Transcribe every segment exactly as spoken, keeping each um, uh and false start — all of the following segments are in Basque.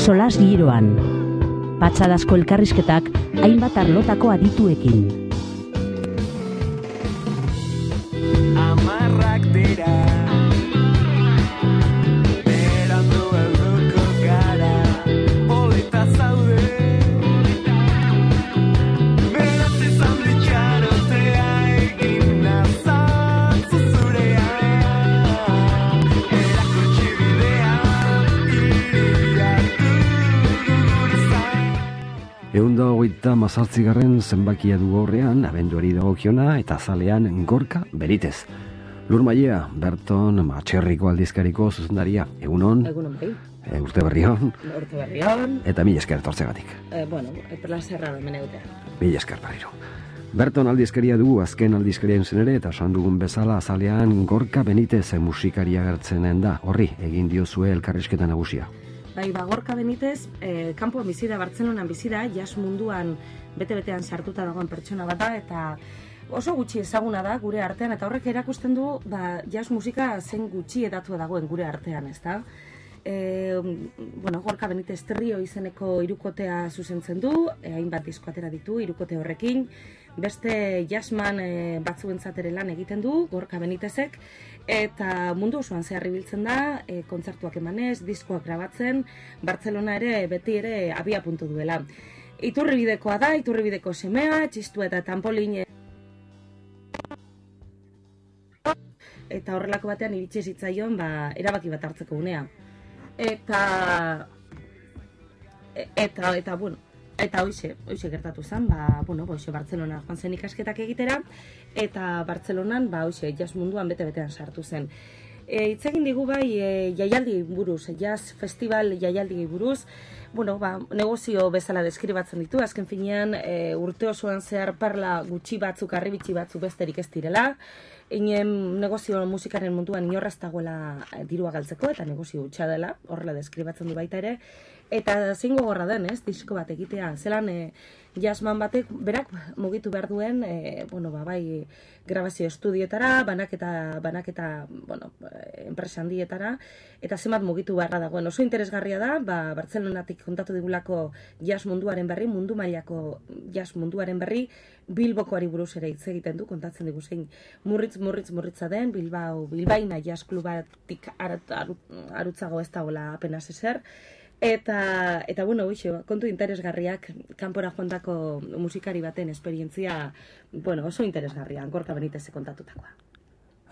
Solas giroan. Patxadazko elkarrizketak hainbat arlotako adituekin. Amarrak dira berandu helduko gara polita zaude beraz izan ditxarotea egin nazatzu zurea erakutsi bidea iriak gure zain. Ehun da hogeita mazazpigarren zenbakia du horrean, abenduari dagokiona eta azalean Gorka Benitez. Lur Mailea, Berton Matxerriko aldizkariko zuzendaria. Egunon. Egunon bai. E, urte berrion. Urte berrion. Eta mila esker etortzegatik. Eh, bueno, plazerra da meneutea. Mila esker berriro. Berton aldizkaria dugu, azken aldizkaria zen ere, eta esan dugun bezala azalean Gorka Benitez musikaria gertzenen da. Horri, egin diozue elkarrizketa nagusia. Bai, ba, Gorka Benitez, eh, kanpoan bizi da, Bartzelonan bizi da, jazz munduan bete-betean sartuta dagoen pertsona bat da, eta oso gutxi ezaguna da gure artean, eta horrek erakusten du ba, jazz musika zen gutxi edatua dagoen gure artean, ezta? E, bueno, Gorka Benitez Trio izeneko hirukotea zuzentzen du, e, hainbat disko atera ditu hirukote horrekin, beste jazzman e, batzuentzat ere lan egiten du Gorka Benitezek, eta mundu osoan zehar ibiltzen da, e, kontzertuak emanez, diskoak grabatzen, Bartzelona ere beti ere abia puntu duela. Iturribidekoa da, Iturribideko semea, txistu eta tampolin eta horrelako batean iritsi zitzaion ba, erabaki bat hartzeko unea. Eta eta eta bueno, eta hoize, hoize gertatu zen, ba bueno, hoize Bartzelona joan zen ikasketak egitera eta Bartzelonan ba hoize jazz munduan bete-betean sartu zen. E, hitz egin digu bai e, jaialdi buruz, jazz festival jaialdi buruz, bueno, ba, negozio bezala deskribatzen ditu, azken finean e, urte osoan zehar parla gutxi batzuk, harribitxi batzuk besterik ez direla, inen negozio musikaren munduan inorraz dagoela dirua galtzeko, eta negozio hutsa dela, horrela deskribatzen du baita ere, eta zein gogorra den, ez, disko bat egitea, zelan e, jazzman batek berak mugitu behar duen, e, bueno, ba, bai, grabazio estudietara, banaketa, banaketa, bueno, enpresa handietara, eta zenbat mugitu beharra dagoen. Oso interesgarria da, ba, Bartzelonatik kontatu digulako jazz munduaren berri, mundu mailako jazz munduaren berri, Bilbokoari buruz ere hitz egiten du, kontatzen digu zein murritz, murritz, murritza den, Bilbao, Bilbaina jazz klubatik arutzago ez dagoela apenas ezer, Eta, eta bueno, uixo, kontu interesgarriak, kanpora joandako musikari baten esperientzia, bueno, oso interesgarria, Gorka Benitez kontatutakoa.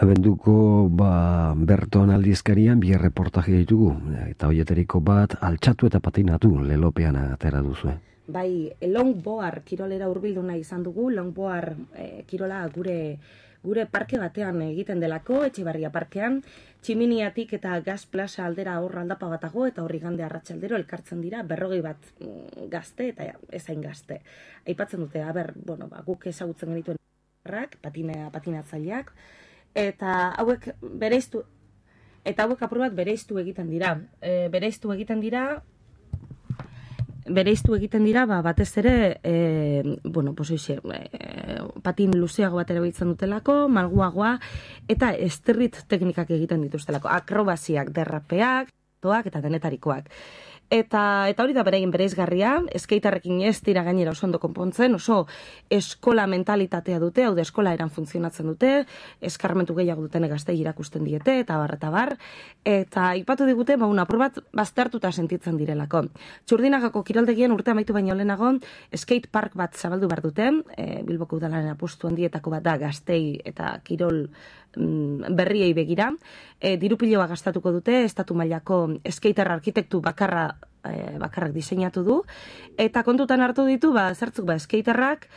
Abenduko ba, Berton aldizkarian bi reportaje ditugu, eta hoieteriko bat altxatu eta patinatu lelopean atera duzue. Bai, longboard kirolera hurbildu nahi izan dugu, longboard eh, kirola gure gure parke batean egiten delako, Etxebarria parkean, Tximiniatik eta Gaz Plaza aldera hor aldapa batago, eta horri gande arratsaldero elkartzen dira, berrogei bat gazte eta ezain gazte. Aipatzen dute, aber, bueno, ba, guk ezagutzen genituen rak, patina, patinatzaileak, eta hauek bereiztu, eta hauek apur bat bereiztu egiten dira. E, bereiztu egiten dira, bereiztu egiten dira, ba, batez ere, e, bueno, pues oixe, e, patin luzeago bat erabiltzen dutelako, malguagoa, eta street teknikak egiten dituztelako, akrobaziak, derrapeak, toak eta denetarikoak. Eta, eta hori da beraien bereizgarria, skeitarrekin ez dira gainera oso ondo konpontzen, oso eskola mentalitatea dute, hau da eskola eran funtzionatzen dute, eskarmentu gehiago duten gaztei irakusten diete, eta bar, eta bar, eta ipatu digute, ba, una apur bat baztertuta sentitzen direlako. Txurdinagako kiroldegien urte amaitu baino lehenago, skate park bat zabaldu behar dute, e, Bilboko udalaren apustu handietako bat da gaztei eta kirol mm, berriei begira, e, dirupiloa gastatuko dute, estatu mailako skater arkitektu bakarra E, bakarrak diseinatu du, eta kontutan hartu ditu, ba, zertzuk, ba, skaterrak,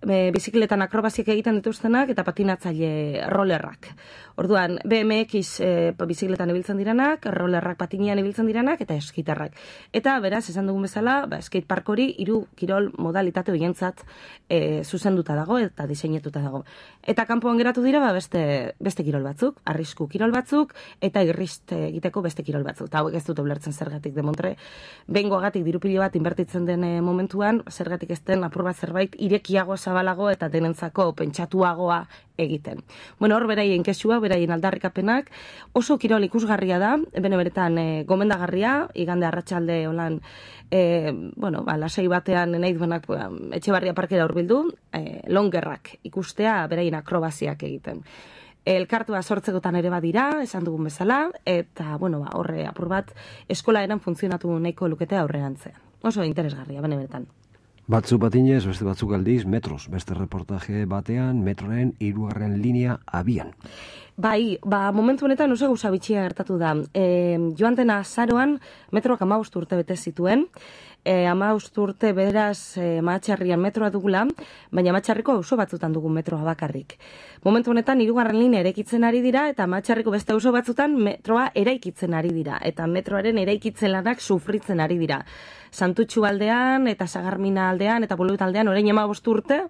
e, bizikletan akrobaziak egiten dituztenak, eta patinatzaile rollerrak. Orduan, B M X e, bizikletan ibiltzen diranak, rollerrak patinean ibiltzen diranak, eta skaterrak. Eta, beraz, esan dugun bezala, ba, skatepark hori hiru kirol modalitate horientzat e, zuzenduta dago, eta diseinetuta dago. Eta kanpoan geratu dira, ba, beste, beste kirol batzuk, arrisku kirol batzuk, eta irrist egiteko beste kirol batzuk. Eta hauek ez dute ulertzen zergatik demontre, behingoagatik dirupilo bat inbertitzen den momentuan, zergatik ez den apur bat zerbait irekiago zabalago eta denentzako pentsatuagoa egiten. Bueno, hor beraien kexua, beraien aldarrikapenak, oso kirol ikusgarria da, bene beretan e, gomendagarria, igande arratsalde holan, e, bueno, ba, lasai batean nahi duenak ba, Etxebarria parkera hurbildu, e, longerrak ikustea beraien akrobaziak egiten. Elkartua sortzekotan ere badira, esan dugun bezala, eta, bueno, ba, horre apur bat, eskola eran funtzionatu nahiko lukete aurrerantzean. Oso interesgarria, bene beretan. Batzu batinez, beste batzuk aldiz, metros, beste reportaje batean, metroren hirugarren linea abian. Bai, ba, momentu honetan oso gauza bitxia gertatu da. E, joan den azaroan, metroak hamabost urte bete zituen, e, hamabost urte beraz e, Mahatxarrian metroa dugula, baina Mahatxarriko auzo batzutan dugu metroa bakarrik. Momentu honetan hirugarren linea eraikitzen ari dira, eta Mahatxarriko beste auzo batzutan metroa eraikitzen ari dira, eta metroaren eraikitzen lanak sufritzen ari dira. Santutxu aldean, eta Sagarmina aldean, eta Bolueta aldean, orain hamabost urte,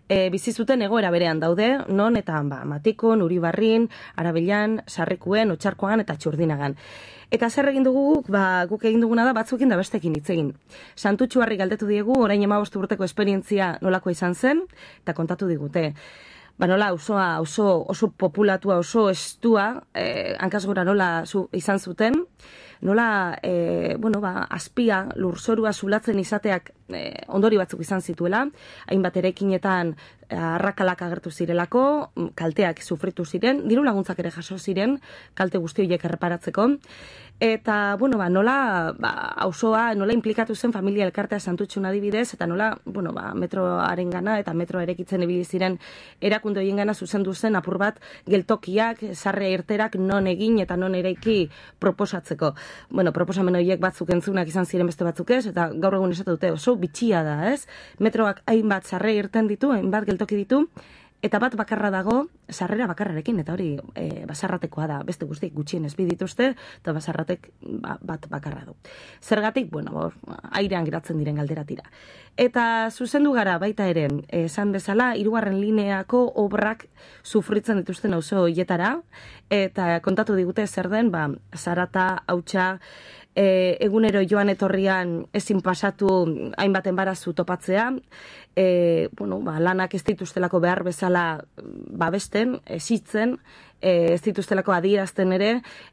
e, bizi zuten egoera berean daude, non eta ba, Matikon, Uribarrin, Arabelan, Sarrikuen, Otxarkoagan eta Txurdinagan. Eta zer egin dugu guk, ba, guk egin duguna da batzuekin da bestekin hitz egin. Santutxuarri galdetu diegu, orain hamabost urteko esperientzia nolakoa izan zen, eta kontatu digute. Ba nola, osoa, oso, oso populatua, oso estua, eh, hankasgora nola zu, izan zuten, nola, eh, bueno, ba, azpia, lurzorua zulatzen izateak eh, ondori batzuk izan zituela, hainbat eraikinetan arrakalak agertu zirelako, kalteak sufritu ziren, diru laguntzak ere jaso ziren, kalte guzti horiek erreparatzeko, eta, bueno, ba, nola, ba, auzoa, nola implikatu zen familia elkartea Santutxun adibidez, eta nola, bueno, ba, metroaren gana eta metro erekitzen ibili ziren erakunde horien gana zuzendu zen apur bat geltokiak, sarre irterak non egin eta non eraiki proposatzeko. Bueno, proposamen horiek batzuk entzunak izan ziren beste batzuk ez, eta gaur egun esatu dute oso bitxia da, ez? Metroak hainbat sarre irten ditu, hainbat geltoki ditu, eta bat bakarra dago, sarrera bakarrarekin, eta hori e, basarratekoa da, beste guztiek gutxienez bi dituzte, eta basarratek ba, bat bakarra du. Zergatik, bueno, bor, airean geratzen diren galderatira. Eta zuzendu gara baita ere, esan bezala, hirugarren lineako obrak sufritzen dituzten auzo hietara, eta kontatu digute zer den, ba, Zarata, Hautsa, E, egunero joan etorrian ezin pasatu hainbat enbarazu topatzea, e, bueno, ba, lanak ez dituztelako behar bezala babesten, esitzen, e, ez dituztelako adierazten ere,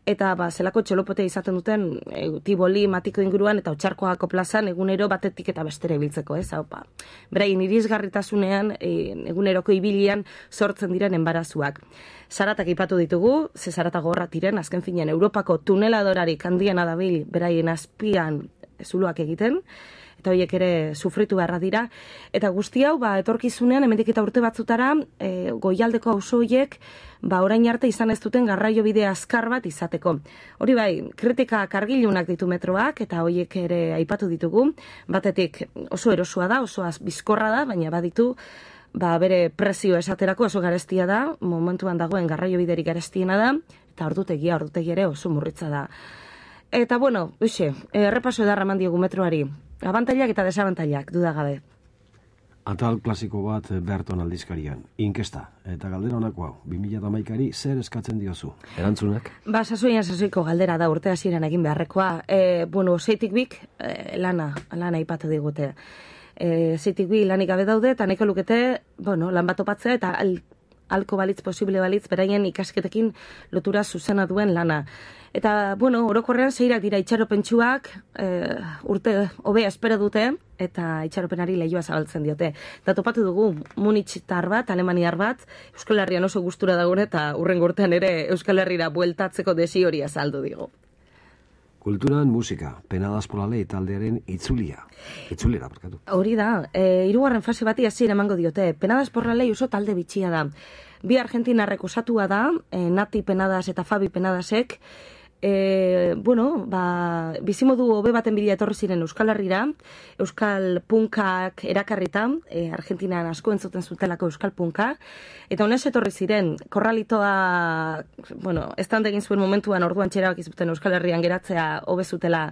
eta ba, zelako txolopotea izaten duten e, Tiboli, Matiko inguruan eta Otxarkoako plazan egunero batetik eta bestere ibiltzeko, ez? Hau, ba, beraien irisgarritasunean, e, eguneroko ibilian sortzen diren enbarazuak. Zaratak ipatu ditugu, ze zarata gorra tiren, azken finean Europako tuneladorarik handiena dabil beraien azpian zuloak egiten, eta horiek ere sufritu beharra dira. Eta guzti hau, ba, etorkizunean, hemendik eta urte batzutara, e, goialdeko auzo horiek, ba, orain arte izan ez duten garraio bide azkar bat izateko. Hori bai, kritika kargilunak ditu metroak, eta horiek ere aipatu ditugu, batetik oso erosua da, oso bizkorra da, baina baditu, ba, bere prezio esaterako oso garestia da, momentuan dagoen garraio biderik garestiena da, eta ordutegia, ordutegi ere oso murritza da. Eta, bueno, uxe, errepaso edarra eman diogu metroari. Abantailak eta desabantailak, dudagabe. Atal klasiko bat Berton aldizkarian, inkesta, eta galdera honako hau, bi mila hamaikari zer eskatzen diozu? Erantzunak? Ba, sasoian sasoiko galdera da urte hasieran egin beharrekoa. E, bueno, zeitik bik, e, lana, lana ipatu digute. E, zeitik bi lanik gabe daude, eta nahiko lukete, bueno, lan bat topatzea, eta al, alko balitz, posible balitz, beraien ikasketekin lotura zuzena duen lana. Eta, bueno, orokorrean zeirak dira itxaropentsuak, e, urte hobea espero dute, eta itxaropenari lehioa zabaltzen diote. Eta topatu dugu Munichitar bat, Alemaniar bat, Euskal Herrian oso gustura dagoen, eta urrengo urtean ere Euskal Herrira bueltatzeko desi hori azaldu digo. Kulturan musika, Penadas por la Ley taldearen itzulia. Itzulera, barkatu. Hori da, e, hirugarren fase bati hasiera emango diote. Penadas por la Ley oso talde bitxia da. Bi argentinarrek osatua da, e, Nati Penadas eta Fabi Penadasek, E, bueno, ba, bizimodu hobe baten bidea etorri ziren Euskal Herrira, Euskal Punkak erakarrita, e, Argentinan asko entzuten zutelako Euskal Punka, eta honez etorri ziren, korralitoa, bueno, estan egin zuen momentuan orduan txerabak izuten Euskal Herrian geratzea hobe zutela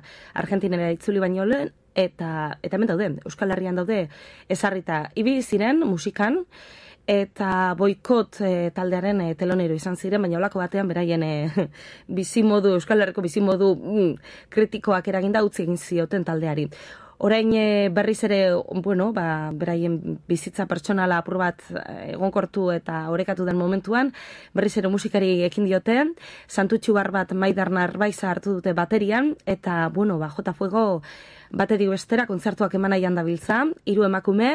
Argentinera itzuli baino lehen, eta, eta hemen daude, Euskal Herrian daude ezarrita ibili ziren musikan, eta boikot e, taldearen e, telonero izan ziren, baina olako batean beraien e, bizimodu, Euskal Herriko bizimodu mm, kritikoak eraginda utzi egin zioten taldeari. Orain e, berriz ere, bueno, ba, beraien bizitza pertsonala apur bat egonkortu eta orekatu den momentuan, berriz ere musikari ekin diote, Santutxu bar bat Maidar Narbaiza hartu dute baterian, eta, bueno, ba, Jota Fuego batetik bestera kontzertuak eman nahian dabiltza, hiru emakume,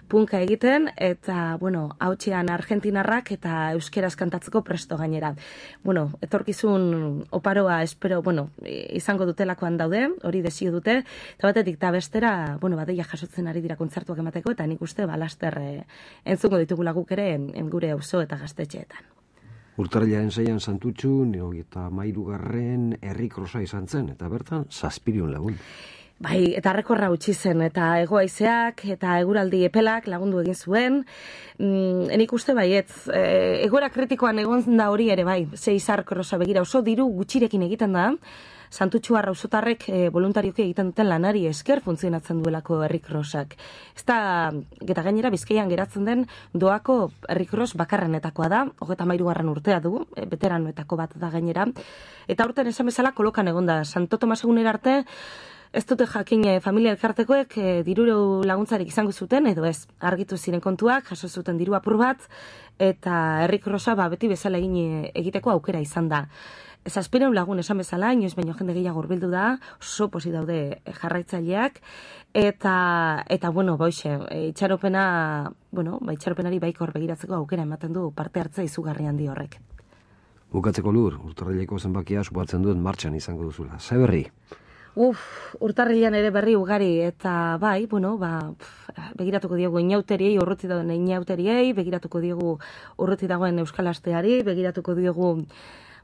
punka egiten, eta, bueno, hautsean argentinarrak eta euskeraz kantatzeko presto gainera. Bueno, etorkizun oparoa espero, bueno, izango dutelakoan daude, hori desio dute, eta batetik eta bestera, bueno, badeia jasotzen ari dira kontzertuak emateko, eta nik uste balaster e, entzungo ditugula guk ere en, en gure auzo eta gaztetxeetan. Urtarrilaren zeian Santutxu, eta mairugarren herri krosa izan zen, eta bertan zazpirion lagun. Bai, eta rekorra utzi zen, eta egoaizeak, eta eguraldi epelak lagundu egin zuen. Mm, enik uste baietz, e, egoera kritikoan egon da hori ere bai, ze izar krosa begira, oso diru gutxirekin egiten da, Santutxu arrauzotarrek e, voluntarioki egiten duten lanari esker funtzionatzen duelako herrikrosak. Ez da, eta gainera Bizkaian geratzen den doako herrikros bakarrenetakoa da, hogeta mairugarren urtea du, e, veteranoetako bat da gainera. Eta aurten esan bezala kolokan egon da, Santo Tomas egunera arte, ez dute jakin e, familia elkartekoek e, diru laguntzarik izango zuten, edo ez, argitu ziren kontuak, jaso zuten diru apur bat, eta herrikrosa ba, beti bezala egin e, egiteko aukera izan da. Zazpireun lagun esan bezala, inoiz baino jende gehiago hurbildu da, oso posi daude jarraitzaileak, eta, eta bueno, boixe, itxaropena, bueno, ba, itxaropenari baikor begiratzeko aukera ematen du parte hartza izugarri handi horrek. Bukatzeko Lur, urtarrileko zenbakia supatzen duen martxan izango duzula. Ze berri? Uf, urtarrilean ere berri ugari, eta bai, bueno, ba, pf, begiratuko diogu inauteriei, urruti dagoen inauteriei, begiratuko diogu urruti dagoen Euskal Asteari, begiratuko diogu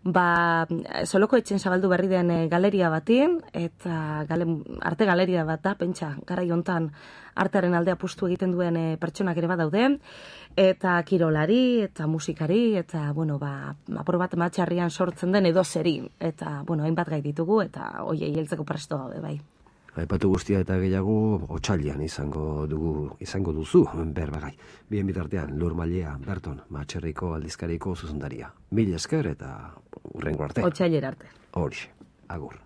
ba, Soloko etxen zabaldu berri den galeria batin, eta gale, arte galeria bat da, pentsa, garai hontan artearen alde apustu egiten duen e, pertsonak ere badaude, eta kirolari, eta musikari, eta, bueno, ba, apur bat matxarrian sortzen den edo zeri, eta, bueno, hainbat gai ditugu, eta oiei heltzeko presto gaude, bai. Aipatu guztia eta gehiago otsailean izango dugu izango duzu berbagai. Bien bitartean Lur Mailea, Berton, Matxerriko aldizkariko zuzendaria. Mil esker eta hurrengo arte. Otsailera arte. Horixe, agur.